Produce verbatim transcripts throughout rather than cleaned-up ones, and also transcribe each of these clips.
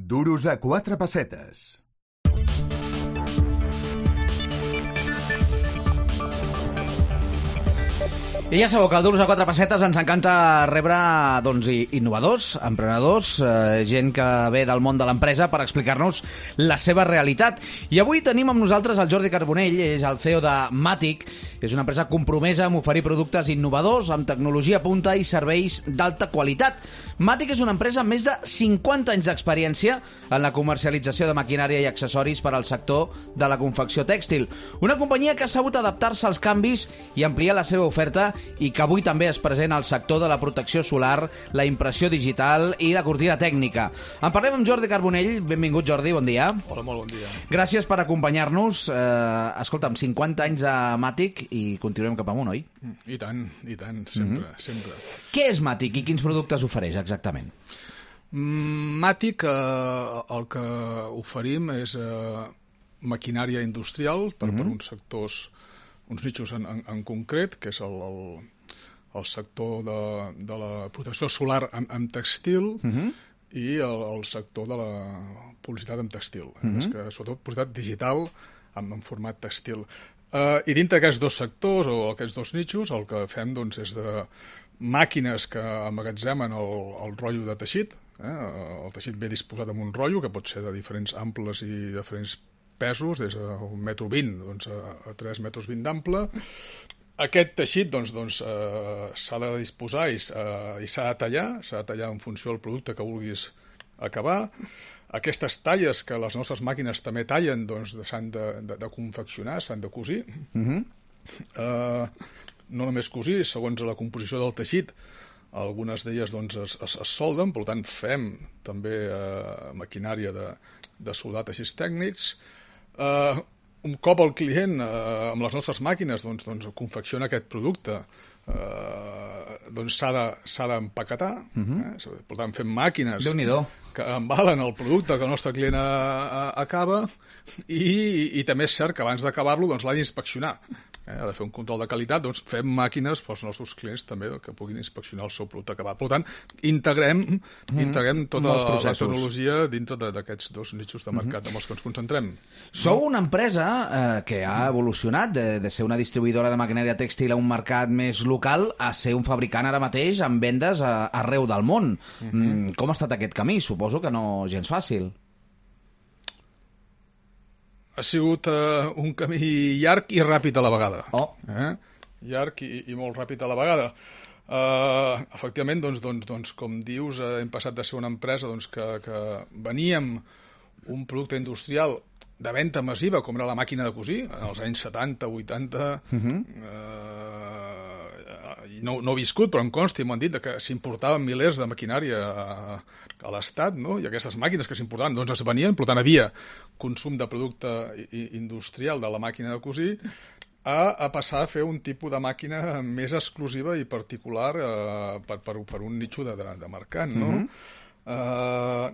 Duros a quatre pessetes. I ja sabeu que al Duros a quatre pessetes ens encanta rebre doncs, innovadors, emprenedors, eh, gent que ve del món de l'empresa per explicar-nos la seva realitat. I avui tenim amb nosaltres el Jordi Carbonell, és el C E O de Matic, és una empresa compromesa amb oferir productes innovadors, amb tecnologia punta i serveis d'alta qualitat. Matic és una empresa amb més de cinquanta anys d'experiència en la comercialització de maquinària i accessoris per al sector de la confecció tèxtil. Una companyia que ha sabut adaptar-se als canvis i ampliar la seva oferta i que avui també es present al sector de la protecció solar, la impressió digital i la cortina tècnica. En parlem amb Jordi Carbonell. Benvingut, Jordi, bon dia. Hola, molt bon dia. Gràcies per acompanyar-nos. Eh, escolta'm, cinquanta anys a Matic i continuem cap amunt, oi? I tant, i tant, sempre, mm-hmm. sempre. Què és Matic i quins productes ofereix exactament? Matic, eh, el que oferim és eh, maquinària industrial per, mm-hmm. per uns sectors, uns nichos en, en, en concret, que és el, el, el sector de, de la protecció solar amb, amb textil, mm-hmm. i el, el sector de la publicitat amb textil, mm-hmm. és que, sobretot publicitat digital amb, en format textil. Uh, I dintre d'aquests dos sectors o aquests dos nichos el que fem doncs, és de màquines que emmagatzemen el, el rotllo de teixit. Eh? El teixit ve disposat en un rotllo que pot ser de diferents amples i diferents pesos, des d'un metro vint doncs, a, a tres metres vint d'ample. Aquest teixit doncs, doncs, eh, s'ha de disposar i, eh, i s'ha de tallar, s'ha de tallar en funció del producte que vulguis acabar. Aquestes talles que les nostres màquines també tallen doncs, s'han de, de, de confeccionar, s'han de cosir. Mm-hmm. eh, no només cosir, segons la composició del teixit, algunes d'elles doncs, es, es, es solden, per tant fem també eh, maquinària de, de soldar teixits tècnics. Eh, un cop el client eh, amb les nostres màquines doncs, doncs, confecciona aquest producte, eh, doncs s'ha de, s'ha d'empaquetar. Mm-hmm. eh? Per tant, fem màquines Déu-n'hi-do. Que embalen el producte que el nostre client a, a, acaba i, i també és cert que abans d'acabar-lo doncs, l'ha d'inspeccionar. Eh, ha de fer un control de qualitat, doncs fem màquines pels nostres clients també que puguin inspeccionar el seu producte acabat. Per tant, integrem, mm, integrem tota la tecnologia dintre d'aquests dos nichos de mercat mm-hmm. amb els que ens concentrem. Sou una empresa eh, que ha evolucionat de, de ser una distribuïdora de maquinària tèxtil a un mercat més local a ser un fabricant ara mateix amb vendes a, arreu del món. Mm-hmm. Mm, com ha estat aquest camí? Suposo que no gens fàcil. Ha sigut uh, un camí llarg i ràpid a la vegada. Oh. Eh? Llarg i, i molt ràpid a la vegada. Uh, efectivament, doncs, doncs, doncs, com dius, uh, hem passat de ser una empresa doncs, que, que veníem un producte industrial de venda massiva, com era la màquina de cosir, en els anys setanta, vuitanta... Uh-huh. uh, no, no he viscut, però em consta i m'han dit que s'importaven milers de maquinària a, a l'Estat, no? I aquestes màquines que s'importaven doncs es venien, per tant havia consum de producte industrial de la màquina de cosir, a, a passar a fer un tipus de màquina més exclusiva i particular eh, per, per, per un nicho de, de, de mercat, no? Mm-hmm. Uh,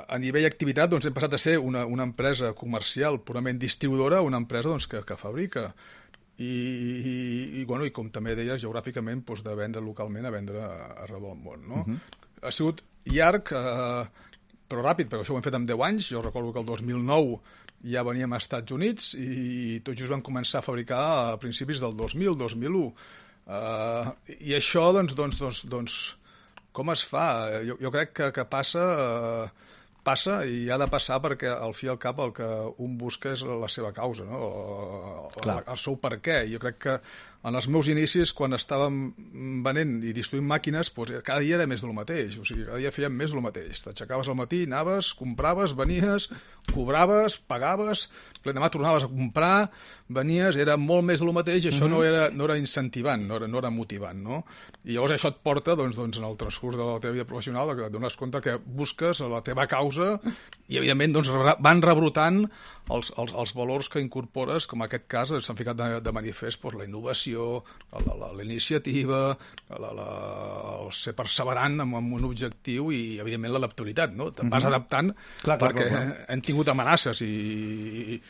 a nivell d'activitat doncs, hem passat a ser una, una empresa comercial purament distribuïdora a una empresa doncs, que, que fabrica. I, i, i, bueno, i com també deies, geogràficament doncs, de vendre localment a vendre arreu del món, no? Uh-huh. Ha sigut llarg, eh, però ràpid, perquè això ho hem fet en deu anys. Jo recordo que el dos mil nou ja veníem als Estats Units i tot just vam començar a fabricar a principis del dos mil, dos mil u. Eh, I això, doncs, doncs, doncs, doncs, com es fa? Jo, jo crec que, que passa... Eh, passa i ha de passar perquè al fi i al cap el que un busca és la seva causa, no? el, el seu per què. Jo crec que en els meus inicis, quan estàvem venent i distribuint màquines, doncs cada dia era més del mateix, o sigui, cada dia fèiem més del mateix. T'aixecaves al matí, anaves, compraves, venies, cobraves, pagaves, l'endemà tornaves a comprar, venies, era molt més del mateix i això mm-hmm. no, era, no era incentivant, no era, no era motivant, no? I llavors això et porta, doncs, doncs, en el transcurs de la teva vida professional, que et dones compte que busques la teva causa i, evidentment, doncs, van rebrotant els, els, els valors que incorpores, com en aquest cas s'han ficat de, de manifest doncs, la innovació, la, la, la iniciativa, la, la, el ser perseverant amb, amb un objectiu i, evidentment, l'adaptabilitat, no? Te'n vas mm-hmm. adaptant clar, clar, perquè clar, clar. hem tingut amenaces i, i,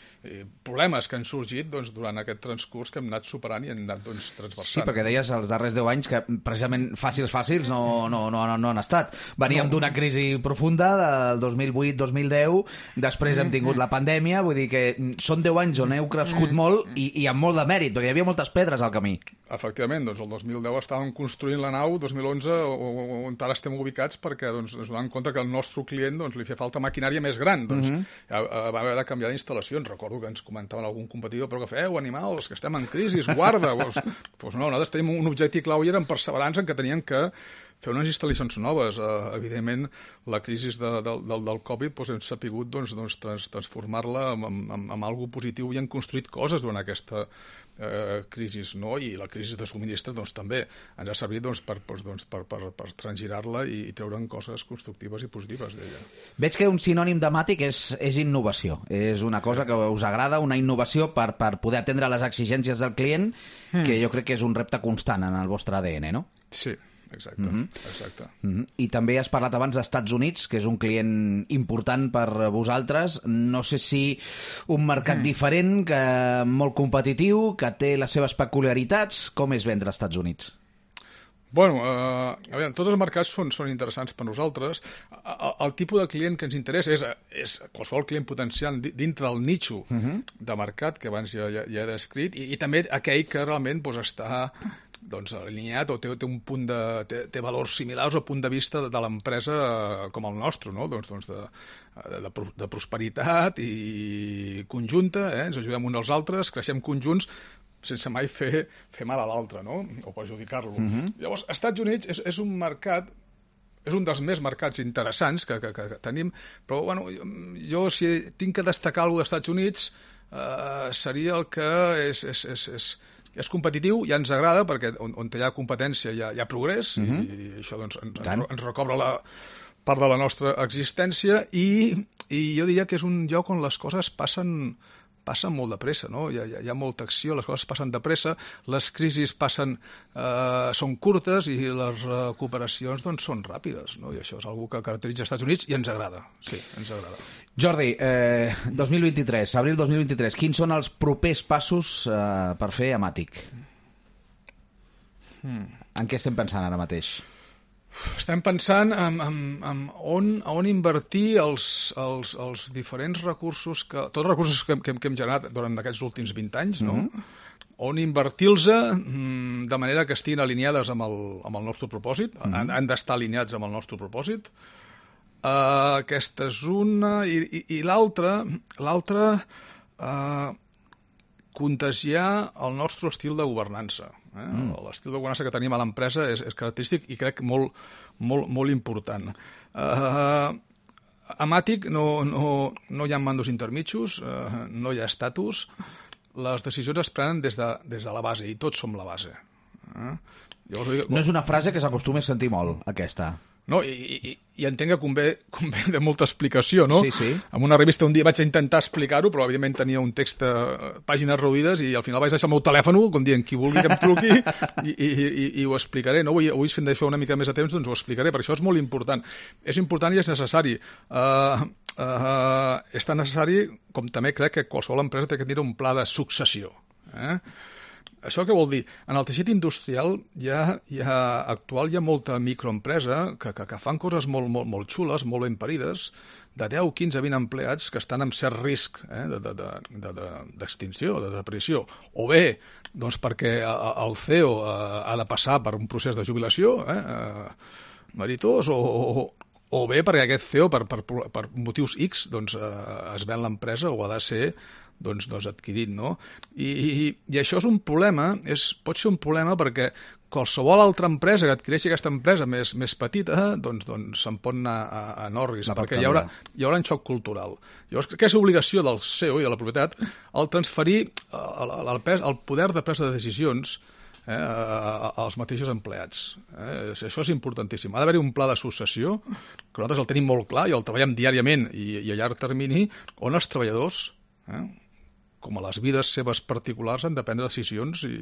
problemes que han sorgit doncs, durant aquest transcurs que hem anat superant i hem anat doncs, transversant. Sí, perquè deies els darrers deu anys que precisament fàcils, fàcils no, no, no, no han estat. Veníem no. d'una crisi profunda del dos mil vuit dos mil deu, després hem tingut la pandèmia, vull dir que són deu anys on heu crescut molt i, i amb molt de mèrit, perquè hi havia moltes pedres al camí. Efectivament, doncs el dos mil deu estàvem construint la nau, dos mil onze on ara estem ubicats perquè doncs, ens donem compte que al nostre client doncs, li feia falta maquinària més gran. Doncs, uh-huh. Va haver de canviar d'instal·lacions. Recordo que ens comentaven algun competidor, però que feu, animals, que estem en crisi, guarda. Doncs, doncs no, nosaltres tenim un objectiu clau i eren perseverants en què teníem que fer unes instal·lacions noves. Uh, evidentment, la crisi de, de, del, del Covid doncs, hem sapigut doncs, doncs, trans, transformar-la en, en, en algo positiu i hem construït coses durant aquesta uh, crisi, no? I la crisi de subministre doncs, també ens ha servit doncs, per, doncs, per, per, per transgirar-la i, i treure'n coses constructives i positives d'ella. Veig que un sinònim de Matic és, és innovació. És una cosa que us agrada, una innovació per, per poder atendre les exigències del client, mm. que jo crec que és un repte constant en el vostre A D N, no? Sí. Exacte, mm-hmm. exacte. Mm-hmm. I també has parlat abans d'Estats Units, que és un client important per vosaltres. No sé si un mercat mm. diferent, que molt competitiu, que té les seves peculiaritats. Com és vendre als Estats Units? Bueno, eh, a veure, tots els mercats són, són interessants per nosaltres. El, el tipus de client que ens interessa és, és qualsevol client potencial dintre del nicho mm-hmm. de mercat que abans ja, ja, ja he descrit i, i també aquell que realment doncs, està doncs, alineat o té, té un punt de té, té valors similars o punt de vista de, de l'empresa com el nostre, no? doncs, doncs de, de, de prosperitat i conjunta, eh? Ens ajudem uns als altres, creixem conjunts sense mai fer, fer mal a l'altre, no? O perjudicar-lo. Mm-hmm. Llavors, Estats Units és, és un mercat és un dels més mercats interessants que, que, que, que tenim, però bueno, jo si tinc que destacar alguna cosa d'Estats Units eh, seria el que és, és, és, és és competitiu, ja ens agrada, perquè on, on hi ha competència hi ha, hi ha progrés, mm-hmm. i, i això doncs, ens, ens, ens recobra la part de la nostra existència, i, i jo diria que és un lloc on les coses passen, passen molt de pressa, no? Hi ha, hi ha molta acció, les coses passen de pressa, les crisis passen, eh, són curtes i les recuperacions doncs, són ràpides, no? I això és una que caracteritza els Estats Units i ens agrada, sí, ens agrada. Jordi, eh, dos mil vint-i-tres, abril dos mil vint-i-tres, quins són els propers passos eh, per fer a Matic? Hmm. En què estem pensant ara mateix? Estem pensant en, en, en on, on invertir els, els, els diferents recursos, que, tots els recursos que, que, que hem generat durant aquests últims vint anys, no? Mm-hmm. On invertir-los de manera que estiguin alineades amb el, amb el nostre propòsit, mm-hmm. han, han d'estar alineats amb el nostre propòsit. Uh, aquesta és una, i, i, i l'altra, l'altra uh, contagiar el nostre estil de governança. Eh? Mm. L'estil de governança que tenim a l'empresa és, és característic i crec molt, molt, molt important. Uh, a Matic no, no, no hi ha mandos intermitjos, uh, no hi ha estatus, les decisions es prenen des de, des de la base i tots som la base. Eh? Llavors, no és una frase que s'acostuma a sentir molt, aquesta. No, i, i, i entenc que convé, convé de molta explicació, no? Sí, sí. En una revista un dia vaig intentar explicar-ho, però evidentment tenia un text, eh, pàgines reduïdes, i al final vaig deixar el meu telèfon, com dient, qui vulgui que em truqui, i, i, i, i ho explicaré. No? Avui, avui si em deixo una mica més de temps, doncs ho explicaré, perquè això és molt important. És important i és necessari. Uh, uh, és tan necessari com també crec que qualsevol empresa té que tenir un pla de successió. Eh? Això què vol dir? En el teixit industrial hi ha, hi ha, actual hi ha molta microempresa que, que, que fan coses molt, molt, molt xules, molt ben parides, de deu, quinze, vint empleats que estan en cert risc eh, d'extinció, de, de, de, de desaparició. O bé, doncs perquè el C E O ha de passar per un procés de jubilació eh, meritós, o, o, o bé perquè aquest C E O, per, per, per motius X, doncs, eh, es ven l'empresa o ha de ser doncs, doncs adquirit, no? I, i, i això és un problema, és, pot ser un problema perquè qualsevol altra empresa que adquireixi aquesta empresa més, més petita, doncs, doncs se'n pot anar a, a Norris, perquè hi haurà, hi haurà un xoc cultural. Llavors, que és obligació del C E O i de la propietat el transferir el, el, el, pes, el poder de presa de decisions eh, als mateixos empleats. Eh? Això és importantíssim. Ha d'haver-hi un pla de successió, que nosaltres el tenim molt clar i el treballem diàriament i, i a llarg termini, on els treballadors eh, com a les vides seves particulars, han de prendre decisions i,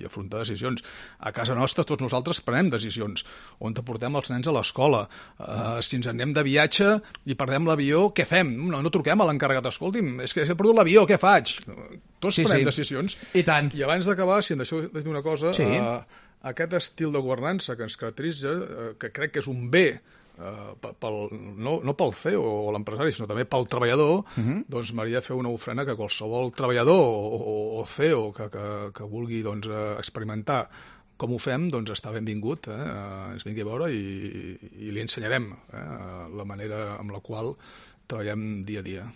i afrontar decisions. A casa nostra tots nosaltres prenem decisions. On te portem els nens a l'escola? Uh, si ens anem de viatge i perdem l'avió, què fem? No, no truquem a l'encarregat. Escolti'm, és que he perdut l'avió, què faig? Tots sí, prenem sí. decisions. I tant. I abans d'acabar, si em deixeu dir una cosa, sí. uh, aquest estil de governança que ens caracteritza, uh, que crec que és un bé, Uh, pel, no, no pel C E O o l'empresari, sinó també pel treballador, uh -huh. doncs m'hauria de fer una ofrena que qualsevol treballador o, o, o C E O que, que, que vulgui doncs, experimentar com ho fem, doncs està benvingut, eh? ens vingui a veure i, i li ensenyarem eh? la manera amb la qual treballem dia a dia.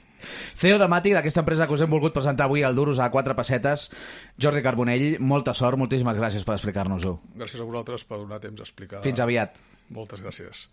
C E O de Mati, d'aquesta empresa que us hem volgut presentar avui al Duros a quatre pessetes, Jordi Carbonell, molta sort, moltíssimes gràcies per explicar-nos-ho. Gràcies a vosaltres per donar temps a explicar. Fins aviat. Moltes gràcies.